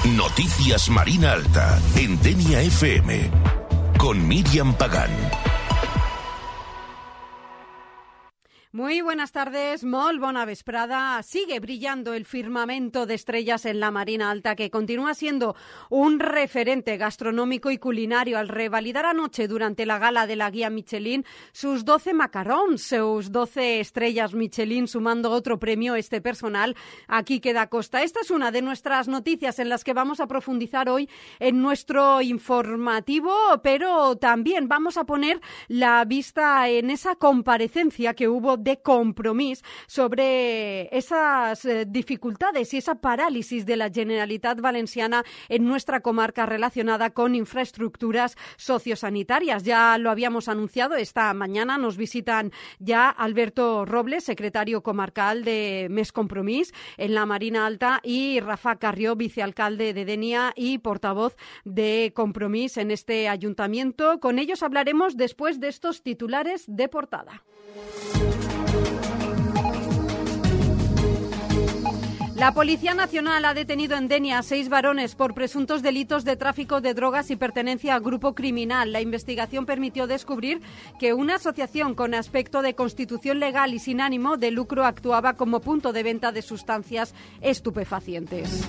Noticias Marina Alta, en Denia FM, con Miriam Pagán. Muy buenas tardes, molt bona vesprada. Sigue brillando el firmamento de estrellas en la Marina Alta, que continúa siendo un referente gastronómico y culinario al revalidar anoche durante la gala de la guía Michelin sus 12 macarons, sus 12 estrellas Michelin, sumando otro premio este personal a Quique da Costa. Esta es una de nuestras noticias en las que vamos a profundizar hoy en nuestro informativo, pero también vamos a poner la vista en esa comparecencia que hubo de Compromís sobre esas dificultades y esa parálisis de la Generalitat Valenciana en nuestra comarca relacionada con infraestructuras sociosanitarias. Ya lo habíamos anunciado, esta mañana nos visitan ya Alberto Robles, secretario comarcal de Més Compromís en la Marina Alta, y Rafa Carrió, vicealcalde de Denia y portavoz de Compromís en este ayuntamiento. Con ellos hablaremos después de estos titulares de portada. La Policía Nacional ha detenido en Denia a 6 varones por presuntos delitos de tráfico de drogas y pertenencia a grupo criminal. La investigación permitió descubrir que una asociación con aspecto de constitución legal y sin ánimo de lucro actuaba como punto de venta de sustancias estupefacientes.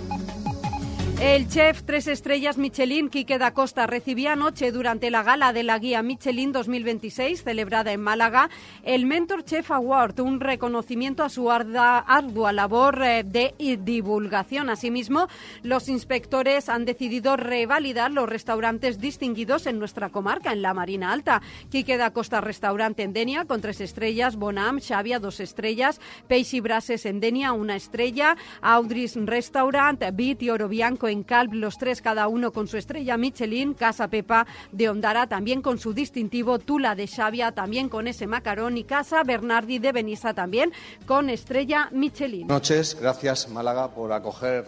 El chef 3 estrellas Michelin, Quique da Costa, recibía anoche durante la gala de la guía Michelin 2026, celebrada en Málaga, el Mentor Chef Award, un reconocimiento a su ardua labor de divulgación. Asimismo, los inspectores han decidido revalidar los restaurantes distinguidos en nuestra comarca, en la Marina Alta. Quique da Costa Restaurante en Denia, con 3 estrellas, Bonam, Xavia, 2 estrellas, Peix y Brases en Denia, 1 estrella, Audris Restaurant, Bit y Oro Bianco en Calp, los 3 cada uno con su estrella Michelin, Casa Pepa de Ondara también con su distintivo, Tula de Xavia también con ese macarón, y Casa Bernardi de Benissa también con estrella Michelin. Buenas noches, gracias Málaga por acoger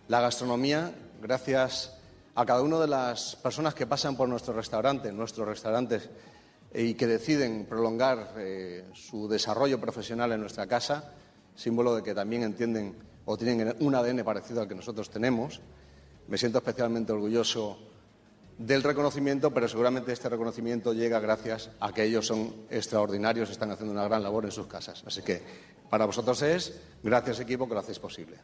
la gastronomía, gracias a cada una de las personas que pasan por nuestros restaurantes y que deciden prolongar su desarrollo profesional en nuestra casa, símbolo de que también entienden o tienen un ADN parecido al que nosotros tenemos. Me siento especialmente orgulloso del reconocimiento, pero seguramente este reconocimiento llega gracias a que ellos son extraordinarios, están haciendo una gran labor en sus casas. Así que para vosotros es gracias, equipo, que lo hacéis posible.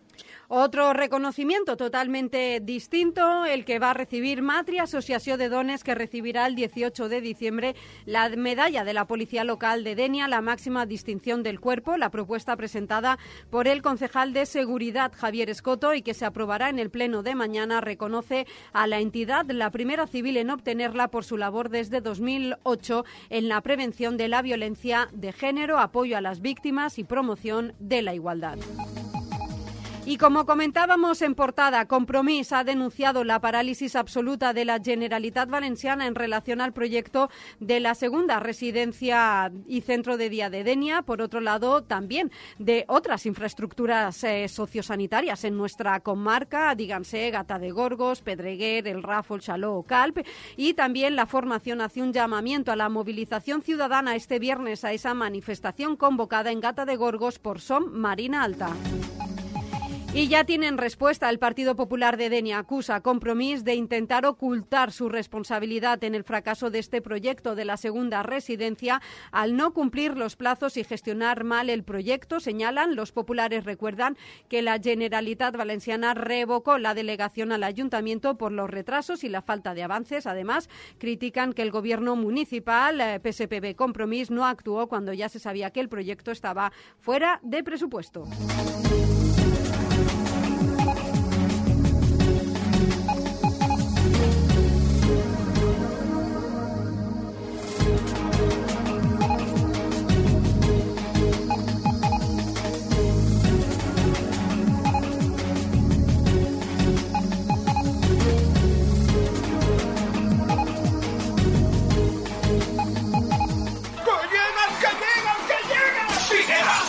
Otro reconocimiento totalmente distinto, el que va a recibir Matri, Asociació de Dones, que recibirá el 18 de diciembre la medalla de la Policía Local de Denia, la máxima distinción del cuerpo. La propuesta presentada por el concejal de Seguridad, Javier Escoto, y que se aprobará en el pleno de mañana, reconoce a la entidad, la primera civil en obtenerla, por su labor desde 2008 en la prevención de la violencia de género, apoyo a las víctimas y promoción de la igualdad. Y como comentábamos en portada, Compromís ha denunciado la parálisis absoluta de la Generalitat Valenciana en relación al proyecto de la segunda residencia y centro de día de Denia. Por otro lado, también de otras infraestructuras sociosanitarias en nuestra comarca, díganse Gata de Gorgos, Pedreguer, El Ràfol, Xaló o Calp. Y también la formación hace un llamamiento a la movilización ciudadana este viernes a esa manifestación convocada en Gata de Gorgos por Som Marina Alta. Y ya tienen respuesta. El Partido Popular de Denia acusa a Compromís de intentar ocultar su responsabilidad en el fracaso de este proyecto de la segunda residencia al no cumplir los plazos y gestionar mal el proyecto. Señalan, los populares recuerdan que la Generalitat Valenciana revocó la delegación al ayuntamiento por los retrasos y la falta de avances. Además, critican que el gobierno municipal, PSPB Compromís, no actuó cuando ya se sabía que el proyecto estaba fuera de presupuesto.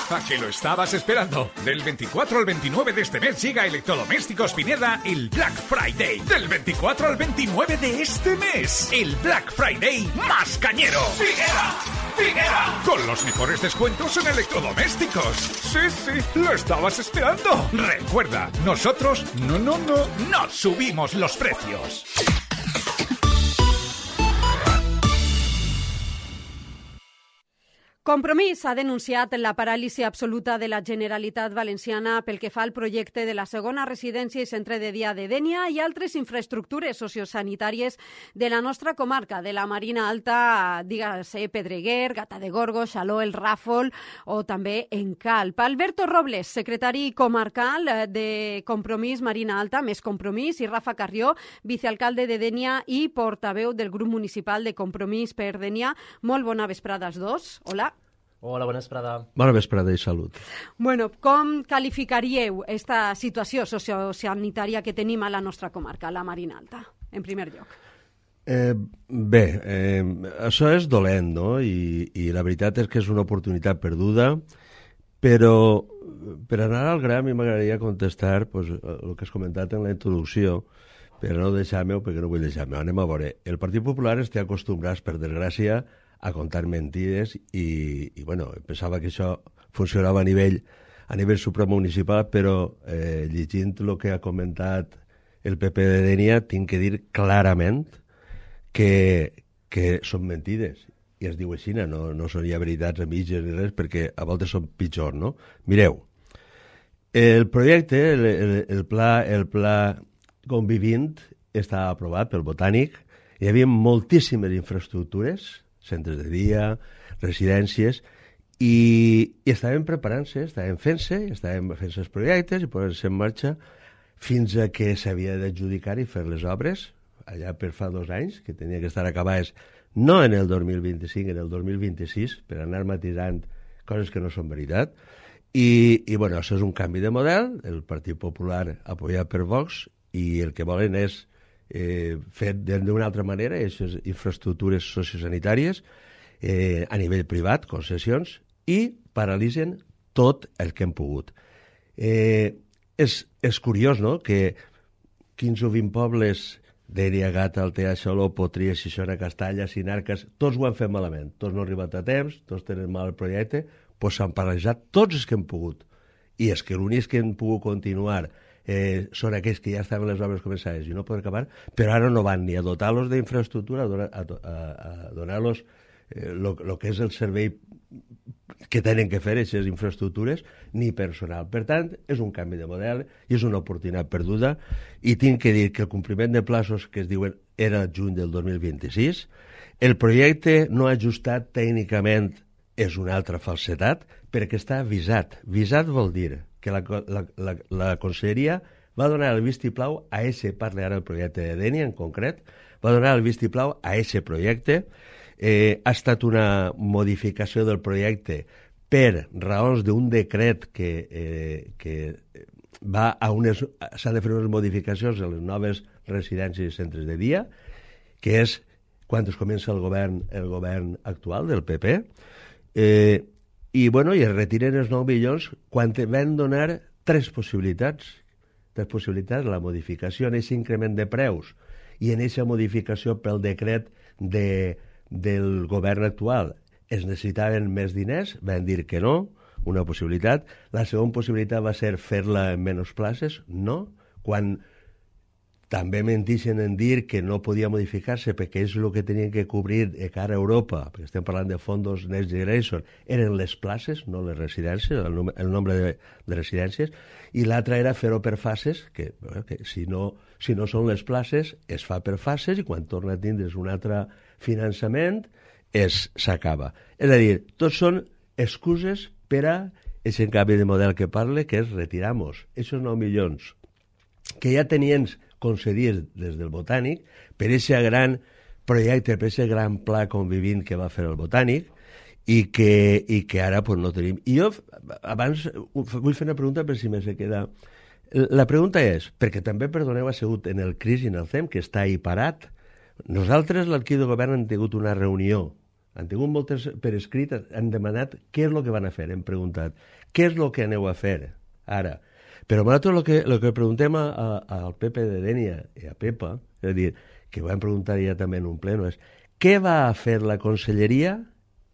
¿A que lo estabas esperando? Del 24 al 29 de este mes llega a Electrodomésticos Pineda el Black Friday. Del 24 al 29 de este mes, el Black Friday más cañero. ¡Pineda! Pineda, con los mejores descuentos en electrodomésticos. Sí, lo estabas esperando. Recuerda, nosotros no subimos los precios. Compromís ha denunciat la paràlisi absoluta de la Generalitat Valenciana pel que fa al projecte de la segona residència i centre de dia de Dénia i altres infraestructures sociosanitàries de la nostra comarca, de la Marina Alta, dígase Pedreguer, Gata de Gorgos, Xaló, el Ràfol o també en Calp. Alberto Robles, secretari comarcal de Compromís Marina Alta, més Compromís, i Rafa Carrió, vicealcalde de Dénia i portaveu del grup municipal de Compromís per Dénia. Molt bona vesprada als dos. Hola. Hola, bona vesprada. Bona vesprada i salut. Bueno, com qualificaríeu esta situació sociosanitària que tenim a la nostra comarca, a la Marina Alta, en primer lloc? Això és dolent, no? I la veritat és que és una oportunitat perduda, però per anar al gra a mi m'agradaria contestar pues, el que has comentat en la introducció, però no deixar-me, perquè no vull deixar-me. Anem a veure. El Partit Popular està acostumbrat, per desgràcia, a contar mentides i bueno, pensava que això funcionava a nivell supramunicipal, però llegint el que ha comentat el PP de Dénia, tinc que dir clarament que són mentides. I es diu així, no són ja veritats a mitges ni res, perquè a voltes són pitjor, no? Mireu, el projecte, el pla Convivint està aprovat pel Botànic. Hi havia moltíssimes infraestructures, centres de dia, residències, i estaven preparant-se, estaven fent-se els projectes i posant-se en marxa fins a que s'havia d'adjudicar i fer les obres, allà per fa 2 anys, que tenia que estar acabades no en el 2025, en el 2026, per anar matisant coses que no són veritat. I bueno, això és un canvi de model, el Partit Popular apoyat per Vox, i el que volen és fet d'una altra manera, aquestes infraestructures sociosanitàries a nivell privat, concessions, i paralitzen tot el que hem pogut. És curiós, no?, que 15 o 20 pobles Dénia, Gata, Altea, Xaló, Potries, Xixona, Castalla, Sinarques, tots ho han fet malament, tots no han arribat a temps, tots tenen mal el projecte, doncs s'han paralitzat tots els que han pogut. I és que l'únic que han pogut continuar són aquells que ja estaven les obres començades i no poden acabar, però ara no van ni a dotar-los d'infraestructura, a donar-los el que és el servei que tenen que fer aquestes infraestructures, ni personal. Per tant, és un canvi de model i és una oportunitat perduda, i tinc que dir que el compliment de plaços que es diuen era juny del 2026, el projecte no ajustat tècnicament és una altra falsetat, perquè està visat. Visat vol dir que la Conselleria va donar el vistiplau a parla ara del projecte de Dénia en concret, va donar el vistiplau a aquest projecte. Ha estat una modificació del projecte per raons d'un decret que va a s'han de fer unes modificacions a les noves residències i centres de dia, que és quan es comença el govern actual del PP, i es retiren els 9 milions quan van donar 3 possibilitats. 3 possibilitats, la modificació en aquest increment de preus i en aquesta modificació pel decret del govern actual. Es necessitaven més diners, van dir que no, una possibilitat. La segona possibilitat va ser fer-la en menys places, no, quan també mentixen en dir que no podia modificar-se perquè és el que tenien que cobrir de cara a Europa, perquè estem parlant de fondos Next Generation, eren les places, no les residències, el nombre de residències, i l'altra era fer-ho per fases, que si no són les places, es fa per fases, i quan torna a tindre's un altre finançament, s'acaba. És a dir, tots són excuses per a aquest canvi de model que parle, que és retirar-nos aquests 9 milions que ja tenien concedits des del Botànic per aquest gran projecte, per aquest gran pla Convivint que va fer el Botànic i que ara no tenim. I jo abans vull fer una pregunta per si me se queda. La pregunta és, perquè també, perdoneu, ha sigut en el CRIS i en el CEM, que està ahí parat. Nosaltres, l'equip de govern, hem tingut una reunió, han tingut moltes per escrit, han demanat què és el que van a fer, hem preguntat, què és el que aneu a fer ara? Però nosaltres el que preguntem al PP de Dénia i a Pepa, és a dir, que ho vam preguntar ja també en un pleno, és què va a fer la Conselleria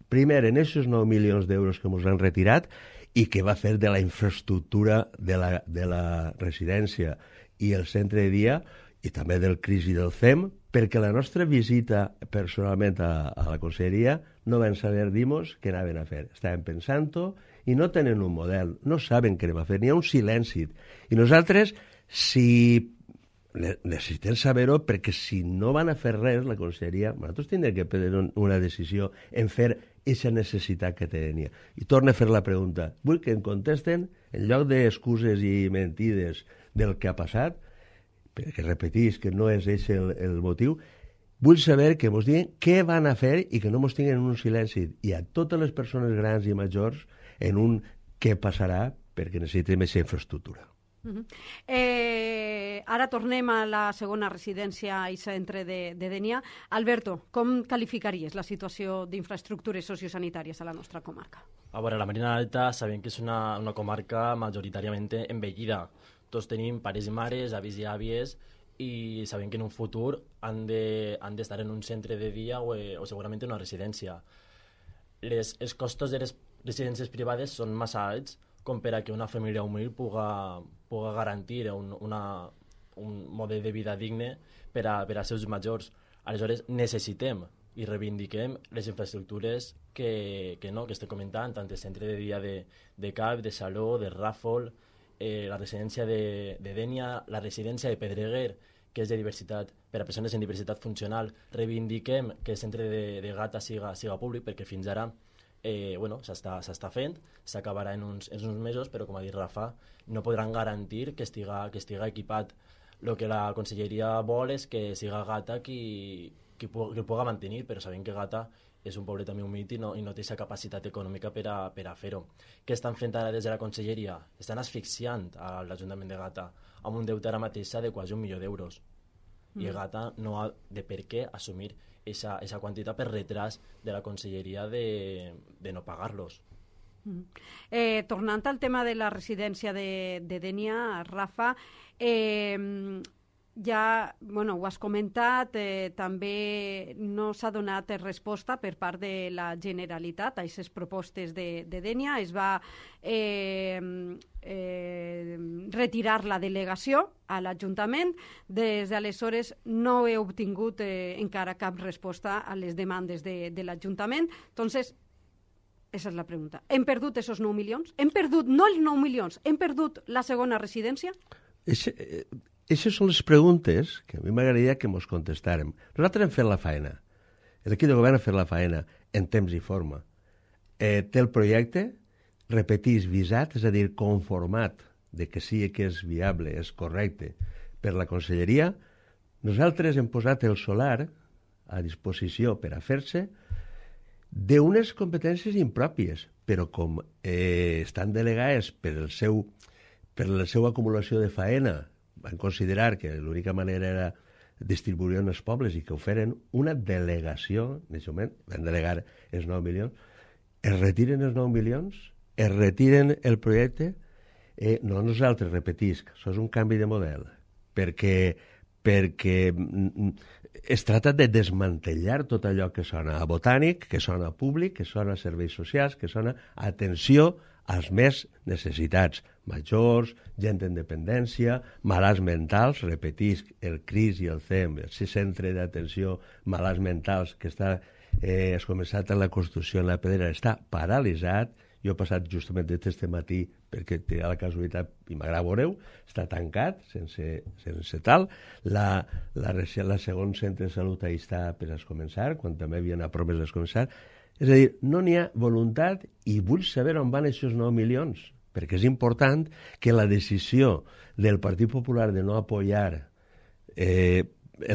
primer, en aquests 9 milions d'euros que ens han retirat i que va fer de la infraestructura de la residència i el centre de dia i també del CRIS i del CEM, perquè la nostra visita personalment a la conselleria no van saber dir-nos què anaven a fer. Estaven pensant-ho i no tenen un model, no saben què anem a fer, n'hi ha un silenci. I nosaltres, si necessitem saber-ho, perquè si no van a fer res, la conselleria, nosaltres tindrem que prendre una decisió en fer aquesta necessitat que tenia. I torno a fer la pregunta. Vull que em contesten, en lloc d'excuses i mentides del que ha passat, perquè repetís que no és aquest el motiu, vull saber que ens diguin què van a fer i que no ens tinguin en un silenci. I a totes les persones grans i majors en un què passarà perquè necessitem aquesta infraestructura. Ara tornem a la segona residència i centre de Dénia. Alberto, com qualificaries la situació d'infraestructures sociosanitàries a la nostra comarca? A veure, la Marina Alta sabem que és una comarca majoritàriament envellida. Tots tenim pares i mares, avis i àvies, i sabem que en un futur han d'estar en un centre de dia o segurament en una residència. Els costos de les residències privades són massa alts com per a que una família humil puga garantir un model de vida digne per als seus majors. Aleshores, necessitem i reivindiquem les infraestructures que estem comentant, tant el centre de dia de Cap, de Saló, de Ràfol, la residència de Dénia, la residència de Pedreguer, que és de diversitat, per a persones en diversitat funcional. Reivindiquem que el centre de Gata siga públic, perquè fins ara s'està fent, s'acabarà en uns mesos, però com ha dit Rafa, no podran garantir que estiga equipat. El que la conselleria vol és que siga Gata qui el pugui mantenir, però sabem que Gata és un poble també humit i no té aquesta capacitat econòmica per a fer-ho. Què estan fent ara des de la conselleria? Estan asfixiant a l'Ajuntament de Gata amb un deute ara mateix de quasi 1 milió d'euros. I Gata no ha de per què assumir esa quantitat per retras de la conselleria de no pagar-los. Tornant al tema de la residència de Dénia, Rafa, ja ho has comentat, també no s'ha donat resposta per part de la Generalitat a aquestes propostes de Dénia. Es va retirar la delegació a l'Ajuntament. Des d'aleshores no he obtingut encara cap resposta a les demandes de l'Ajuntament. Entonces, esa és la pregunta. Hem perdut esos 9 milions? Hem perdut, no els 9 milions, hem perdut la segona residència? Aquestes són les preguntes que a mi m'agradaria que ens contestàrem. Nosaltres hem fet la feina. L'equip de govern ha fet la feina en temps i forma. Té el projecte, repetís, visat, és a dir, conformat de que sí que és viable, és correcte, per la conselleria. Nosaltres hem posat el solar a disposició per a fer-se d'unes competències impròpies, però com estan delegades per la seva acumulació de faena, van considerar que l'única manera era distribuir en els pobles i que ho feren una delegació, en aquest moment van delegar els 9 milions, es retiren els 9 milions, es retiren el projecte, no nosaltres, repetisc, això és un canvi de model, perquè es tracta de desmantellar tot allò que sona a botànic, que sona a públic, que sona a serveis socials, que sona a atenció als més necessitats, majors, gent en dependència, malalts mentals, repetisc, el CRIS i el CEM, el centre d'atenció malalts mentals que has començat en la construcció en la Pedrera, està paralitzat. Jo he passat justament este matí perquè té la casualitat, i m'agrada veure-ho, està tancat, sense tal. La segon centre de salut ahí està per a començar, quan també havien promes de començar. És a dir, no n'hi ha voluntat i vull saber on van aquests 9 milions, perquè és important que la decisió del Partit Popular de no apoyar en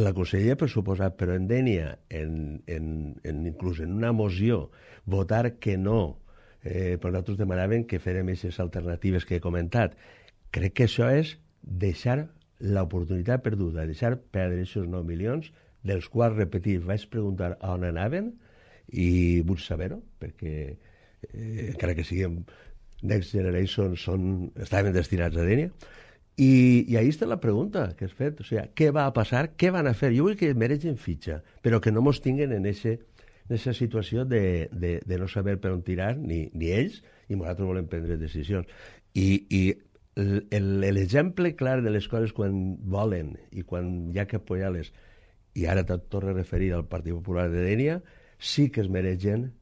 la conselleria per suposat, però en Dénia, inclús en una moció, votar que no, però nosaltres demanàvem que fèrem aquestes alternatives que he comentat. Crec que això és deixar l'oportunitat perduda, deixar perdre aquests 9 milions, dels quals, repetir, vaig preguntar on anaven i vull saber-ho, perquè encara que siguem Next Generation estaven destinats a Dénia. I ahí està la pregunta que has fet, o sigui, què va a passar, què van a fer? Jo vull que mereixen fitxa, però que no mos tinguen en aquest aquesta situació de no saber per on tirar, ni ells, i nosaltres volem prendre decisions. I l'exemple clar de les coses quan volen i quan hi ha que apoyar-les, i ara te torno a referir al Partit Popular de Dénia, sí que es mereixen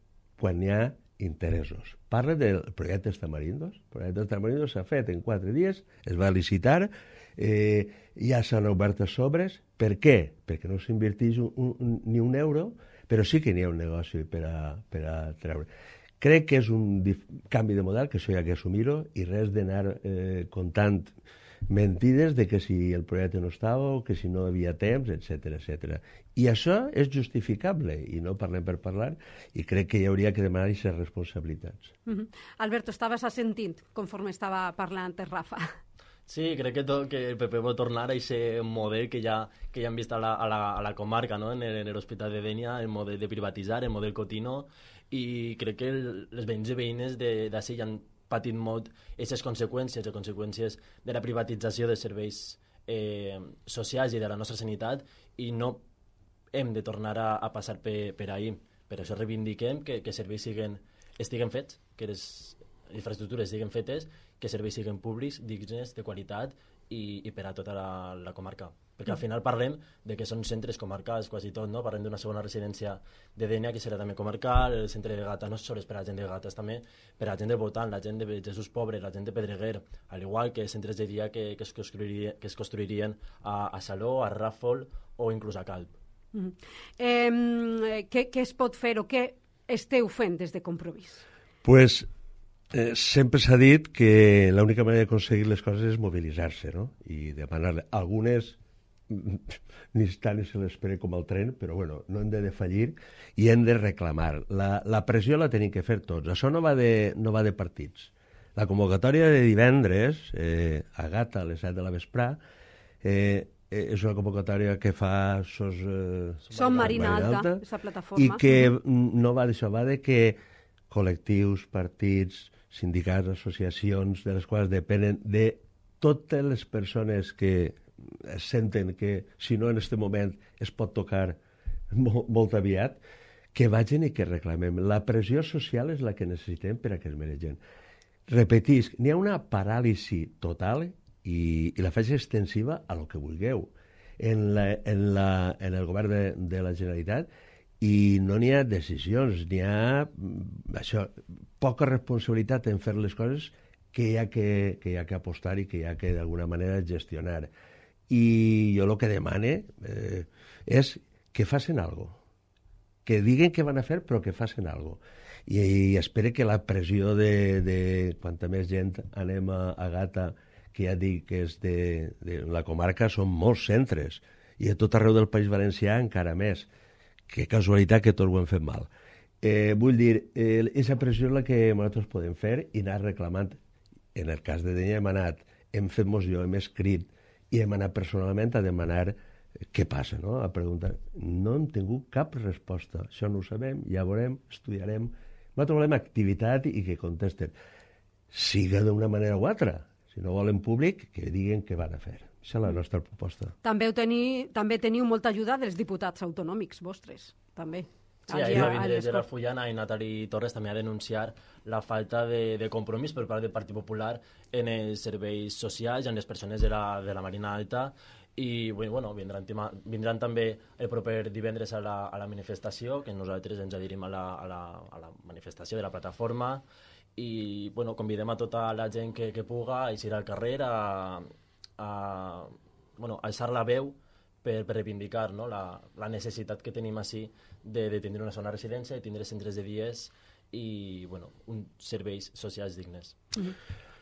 quan hi ha interessos. Parla del projecte Tamarindos. El projecte Tamarindos s'ha fet en 4 dies, es va licitar, ja s'han obert els sobres. Per què? Perquè no s'inverteix ni un euro, però sí que n'hi ha un negoci per a treure. Crec que és un canvi de model, que això hi ha que assumir-ho, i res d'anar contant mentides de que si el projecte no estava o que si no havia temps, etc. I això és justificable, i no parlem per parlar, i crec que hi hauria que demanar aquestes responsabilitats. Alberto, estaves assentint conforme estava parlant Rafa. Sí, crec que el PP vol tornar a aquest model que ja hem vist a la comarca, no? En l'Hospital de Dénia, el model de privatitzar, el model Cotino, i crec que les veïns i veïnes d'ací ja han patit molt aquestes conseqüències, les conseqüències de la privatització dels serveis socials i de la nostra sanitat, i no hem de tornar a passar per ahí. Per això reivindiquem que serveis estiguen fets, que les infraestructures estiguin fetes, que serveis siguin públics, dignes, de qualitat i per a tota la comarca. Perquè al final parlem de que són centres comarcals quasi tot, no? Parlem d'una segona residència de Dénia, que serà també comarcal, el centre de Gata no és sols per a la gent de Gata, és també per a la gent de Botan, la gent de Jesús Pobre, la gent de Pedreguer, al igual que centres de dia que es construirien a Saló, a Ràfol o inclús a Calp. Què es pot fer o què esteu fent des de Compromís? Pues sempre s'ha dit que l'única manera d'aconseguir les coses és mobilitzar-se, no? I demanar algunes ni tant ni se l'espera com el tren, però bueno, no hem de defallir i hem de reclamar. La pressió la tenim que fer tots. Això no va de partits. La convocatòria de divendres a Gata a les 7 de la vesprà és una convocatòria que fa Som Marina Alta, aquesta plataforma. I que no va d'això, va de que col·lectius, partits, sindicats, associacions, de les quals depenen de totes les persones que senten que, si no en aquest moment, es pot tocar molt aviat, que vagin i que reclamem. La pressió social és la que necessitem per a que es mereixen. Repetisc, n'hi ha una paràlisi total i la faig extensiva a lo que vulgueu en el govern de la Generalitat, i no n'hi ha decisions, n'hi ha poca responsabilitat en fer les coses que hi ha que apostar i que hi ha que d'alguna manera gestionar. I jo el que demane és que facin alguna cosa, que diguen què van a fer però que facin alguna cosa. I espero que la pressió de quanta més gent anem a Gata, que ja dic que és de la comarca, són molts centres, i a tot arreu del País Valencià encara més. Que casualitat que tots ho hem fet mal. Vull dir, aquesta pressió és la que nosaltres podem fer i anar reclamant. En el cas de Dénia hem fet moció, hem escrit i hem anat personalment a demanar què passa, no? A preguntar. No hem tingut cap resposta. Això no ho sabem, ja veurem, estudiarem. Nosaltres volem activitat i que contesten. Siga d'una manera o altra. Si no volen públic, que diguen què van a fer. Això és la nostra proposta. També teniu molta ajuda dels diputats autonòmics vostres, també. Sí, ahir va vindre Gerard Fullana i Natali Torres també a denunciar la falta de compromís per part del Partit Popular en els serveis socials i en les persones de la Marina Alta, i bueno, vindran també el proper divendres a la manifestació, que nosaltres ens adherim a la manifestació de la plataforma, i bueno, convidem a tota la gent que puga a eixir al carrer a alçar la veu per reivindicar, no? la necessitat que tenim així de tindre una zona de residència, de tindre centres de dies i uns serveis socials dignes.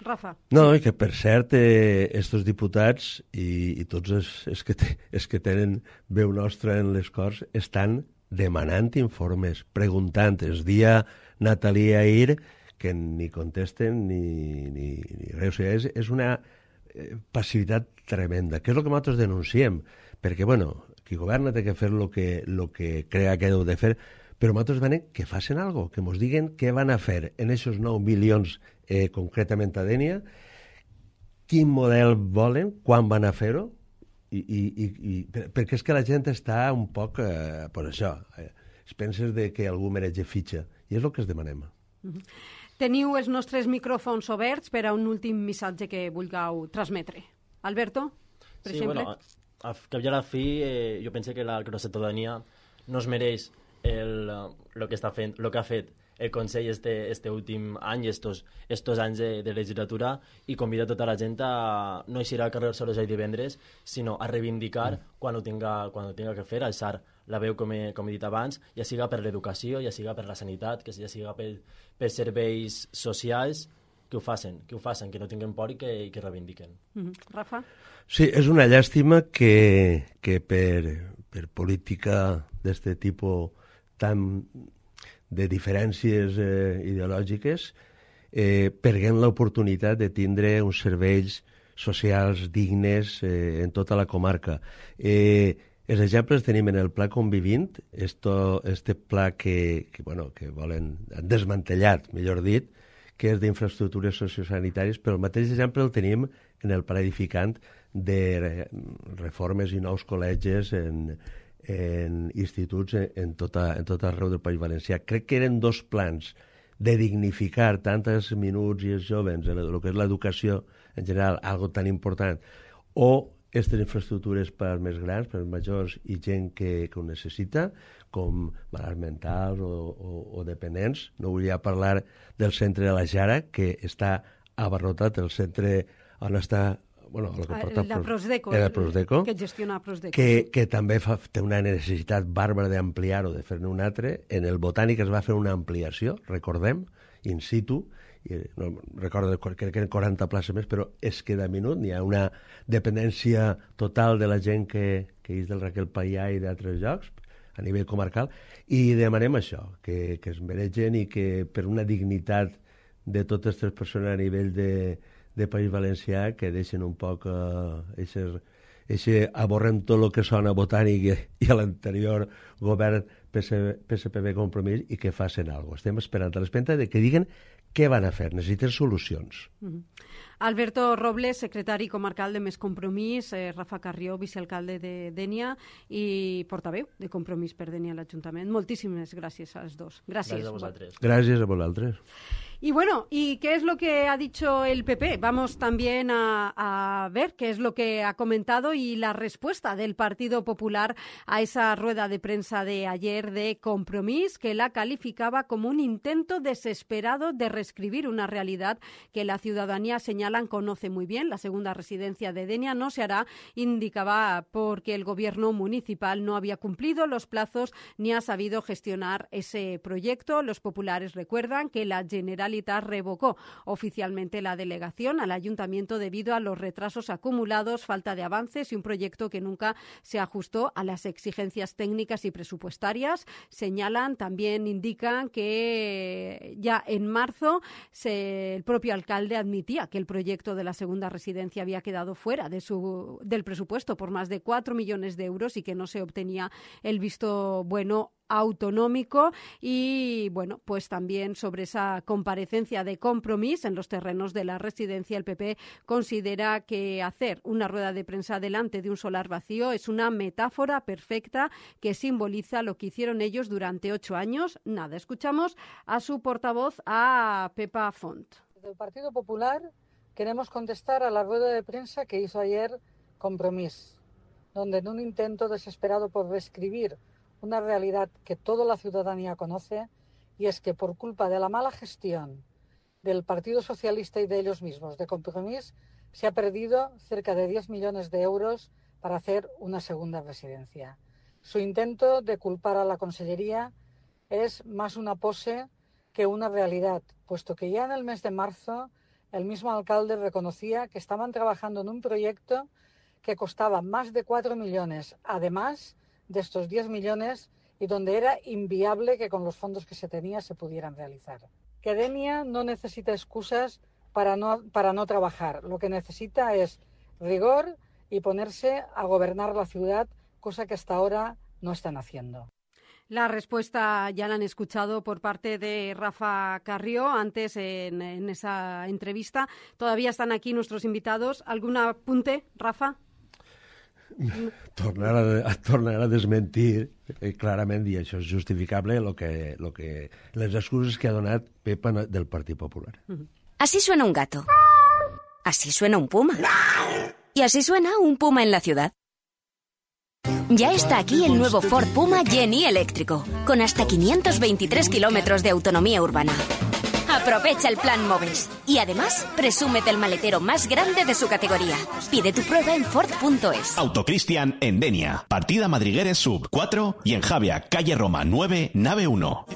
Rafa. No, i que per cert, estos diputats i tots els que tenen veu nostra en les Corts estan demanant informes, preguntant. Es dia Natalia ahir que ni contesten ni res. O sigui, és una passivitat tremenda, que és el que nosaltres denunciem, perquè, qui governa té que fer el que crea que heu de fer, però nosaltres demanem que facin alguna cosa, que ens diguen què van a fer en aquests 9 milions concretament a Dénia, quin model volen, quan van a fer-ho, perquè és que la gent està un poc per això. es penses de que algú mereix fitxa, i és el que es demanem. Teniu els nostres micròfons oberts per a un últim missatge que vulgueu transmetre. Alberto, per exemple? Bueno, al cap i a la fi, jo penso que la ciutadania no es mereix el que està fent, el que ha fet el Consell este últim any i estos anys de legislatura, i convida tota la gent a no eixir al carrer sols el divendres, sinó a reivindicar quan ho tinga que fer, alçar la veu, com he dit abans, ja siga per l'educació, ja siga per la sanitat, que ja siga per serveis socials, que ho facin, que no tinguin por i que reivindiquen. Rafa? Sí, és una llàstima que per política d'este tipus tan de diferències ideològiques perguem l'oportunitat de tindre uns serveis socials dignes en tota la comarca. Els exemples tenim en el Pla Convivint, este pla que volen, han desmantellat, millor dit, que és d'infraestructures sociosanitàries, però el mateix exemple el tenim en el Pla Edificant de reformes i nous col·legis en instituts en tot arreu del País Valencià. Crec que eren dos plans de dignificar tant els minuts i els joves en el que és l'educació en general, algo tan important, o aquestes infraestructures per als més grans, per als majors i gent que ho necessita, com malalts mentals o dependents. No volia parlar del centre de la Jara, que està abarrotat, el centre on està la Prosdeco, que gestiona Prosdeco. Que també té una necessitat bàrbara d'ampliar-ho, de fer-ne un altre. En el Botànic es va fer una ampliació, recordem, in situ, no recordo, crec que eren 40 places més, però es queda minut, hi ha una dependència total de la gent que és del Raquel Paià i d'altres llocs, a nivell comarcal, i demanem això, que es mereixen i que per una dignitat de totes les persones a nivell de País Valencià, que deixen un poc aborrem tot el que sona Botànic i a l'anterior govern PSPB Compromís, i que facin alguna cosa. Estem esperant a l'espenta de que diguen què van a fer. Necessiten solucions. Alberto Robles, secretari comarcal de Més Compromís, Rafa Carrió, vicealcalde de Dénia i portaveu de Compromís per Dénia a l'Ajuntament. Moltíssimes gràcies als dos. Gràcies a vosaltres. Gràcies a vosaltres. Y bueno, ¿y qué es lo que ha dicho el PP? Vamos también a ver qué es lo que ha comentado y la respuesta del Partido Popular a esa rueda de prensa de ayer de Compromís, que la calificaba como un intento desesperado de reescribir una realidad que la ciudadanía, señalan, conoce muy bien. La segunda residencia de Dénia no se hará, indicaba, porque el gobierno municipal no había cumplido los plazos ni ha sabido gestionar ese proyecto. Los populares recuerdan que la Generalitat revocó oficialmente la delegación al ayuntamiento debido a los retrasos acumulados, falta de avances y un proyecto que nunca se ajustó a las exigencias técnicas y presupuestarias. Señalan, también indican que ya en marzo el propio alcalde admitía que el proyecto de la segunda residencia había quedado fuera del presupuesto por más de 4 millones de euros y que no se obtenía el visto bueno autonómico. Y bueno, pues también sobre esa comparecencia de Compromís en los terrenos de la residencia, el PP considera que hacer una rueda de prensa delante de un solar vacío es una metáfora perfecta que simboliza lo que hicieron ellos durante 8 años. Nada, escuchamos a su portavoz, a Pepa Font. Desde el Partido Popular queremos contestar a la rueda de prensa que hizo ayer Compromís, donde en un intento desesperado por reescribir una realidad que toda la ciudadanía conoce, y es que por culpa de la mala gestión del Partido Socialista y de ellos mismos, de Compromís, se ha perdido cerca de 10 millones de euros para hacer una segunda residencia. Su intento de culpar a la Consellería es más una pose que una realidad, puesto que ya en el mes de marzo el mismo alcalde reconocía que estaban trabajando en un proyecto que costaba más de 4 millones, además de estos 10 millones, y donde era inviable que con los fondos que se tenía se pudieran realizar. Que Dénia no necesita excusas para no trabajar. Lo que necesita es rigor y ponerse a gobernar la ciudad, cosa que hasta ahora no están haciendo. La respuesta ya la han escuchado por parte de Rafa Carrió antes en esa entrevista. Todavía están aquí nuestros invitados. ¿Algún apunte, Rafa? Tornar a desmentir clarament, i això és justificable, les excuses que ha donat Pepa del Partit Popular. Así suena un gato. Así suena un puma. Y así suena un puma en la ciudad. Ya está aquí el nuevo Ford Puma Gen-E eléctrico, con hasta 523 kilómetros de autonomía urbana. Aprovecha el plan Moves y además presúmete el maletero más grande de su categoría. Pide tu prueba en Ford.es. Autocristian en Denia, partida Madrigueres Sub 4 y en Javia, calle Roma 9, nave 1.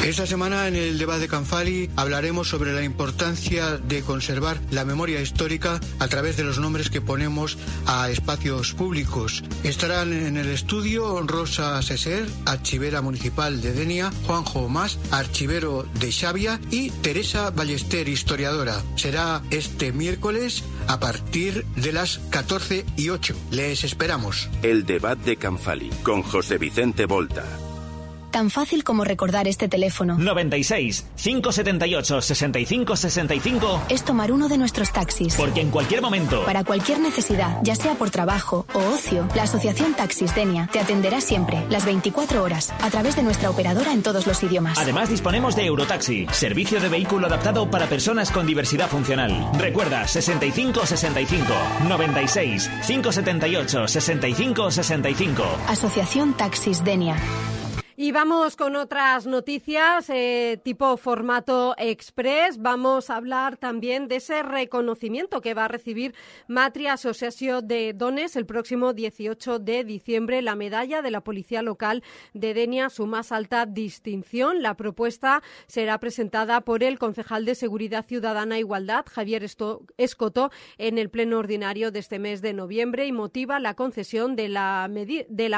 Esta semana en el debate de Canfali hablaremos sobre la importancia de conservar la memoria histórica a través de los nombres que ponemos a espacios públicos. Estarán en el estudio Rosa Seser, archivera municipal de Denia, Juanjo Mas, archivero de Xavia, y Teresa Ballester, historiadora. Será este miércoles a partir de las 14:08. Les esperamos. El debate de Canfali con José Vicente Volta. Tan fácil como recordar este teléfono. 96 578 65 65 es tomar uno de nuestros taxis. Porque en cualquier momento, para cualquier necesidad, ya sea por trabajo o ocio, la Asociación Taxis Denia te atenderá siempre, las 24 horas, a través de nuestra operadora en todos los idiomas. Además disponemos de Eurotaxi, servicio de vehículo adaptado para personas con diversidad funcional. Recuerda, 65 65 96 578 65 65. Asociación Taxis Denia. Y vamos con otras noticias tipo formato express. Vamos a hablar también de ese reconocimiento que va a recibir Matria Associació de Dones el próximo 18 de diciembre, la medalla de la Policía Local de Denia, su más alta distinción. La propuesta será presentada por el concejal de Seguridad Ciudadana e Igualdad, Javier Escoto, en el pleno ordinario de este mes de noviembre y motiva la concesión de la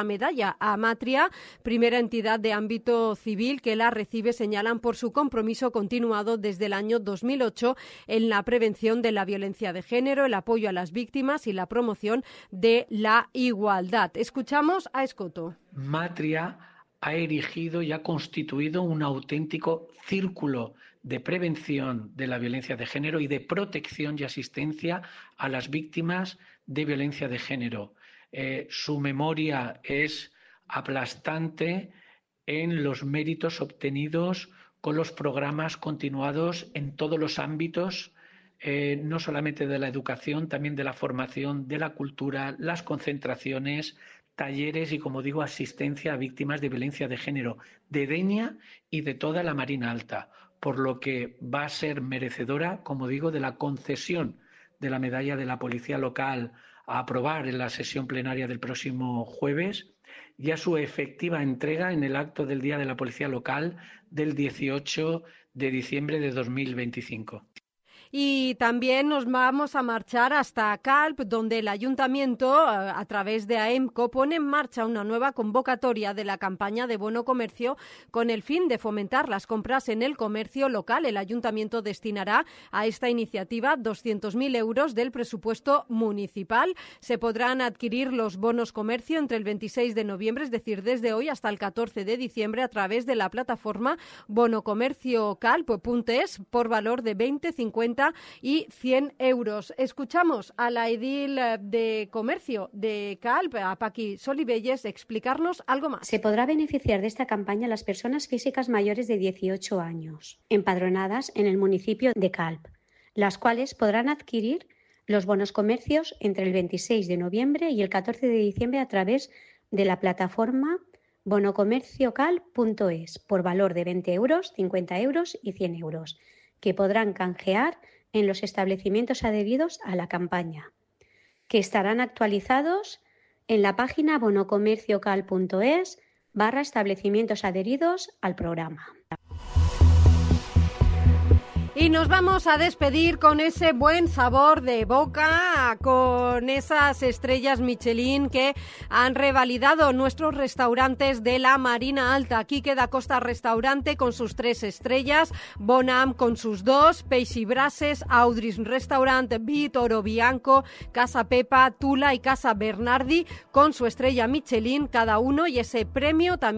medalla a Matria, primera entidad de ámbito civil que la recibe, señalan, por su compromiso continuado desde el año 2008 en la prevención de la violencia de género, el apoyo a las víctimas y la promoción de la igualdad. Escuchamos a Escoto. Matria ha erigido y ha constituido un auténtico círculo de prevención de la violencia de género y de protección y asistencia a las víctimas de violencia de género. Su memoria es aplastante en los méritos obtenidos con los programas continuados en todos los ámbitos, no solamente de la educación, también de la formación, de la cultura, las concentraciones, talleres y, como digo, asistencia a víctimas de violencia de género de Denia y de toda la Marina Alta, por lo que va a ser merecedora, como digo, de la concesión de la medalla de la Policía Local a aprobar en la sesión plenaria del próximo jueves, y a su efectiva entrega en el acto del Día de la Policía Local del 18 de diciembre de 2025. Y también nos vamos a marchar hasta Calp, donde el Ayuntamiento, a través de AEMCO, pone en marcha una nueva convocatoria de la campaña de bono comercio con el fin de fomentar las compras en el comercio local. El Ayuntamiento destinará a esta iniciativa 200.000 euros del presupuesto municipal. Se podrán adquirir los bonos comercio entre el 26 de noviembre, es decir, desde hoy hasta el 14 de diciembre, a través de la plataforma bonocomerciocalp.es por valor de 20, 50 y 100 euros. Escuchamos a la edil de Comercio de Calp, a Paqui Solivelles, explicarnos algo más. Se podrá beneficiar de esta campaña las personas físicas mayores de 18 años, empadronadas en el municipio de Calp, las cuales podrán adquirir los bonos comercios entre el 26 de noviembre y el 14 de diciembre a través de la plataforma bonocomerciocalp.es por valor de 20 euros, 50 euros y 100 euros, que podrán canjear en los establecimientos adheridos a la campaña, que estarán actualizados en la página bonocomerciocalp.es/establecimientos adheridos al programa. Y nos vamos a despedir con ese buen sabor de boca, con esas estrellas Michelin que han revalidado nuestros restaurantes de la Marina Alta. Quique da Costa Restaurante con sus 3 estrellas, Bonam con sus 2, Peixi Brases, Audris Restaurant, Toro Bianco, Casa Pepa, Tula y Casa Bernardi con su estrella Michelin cada uno, y ese premio también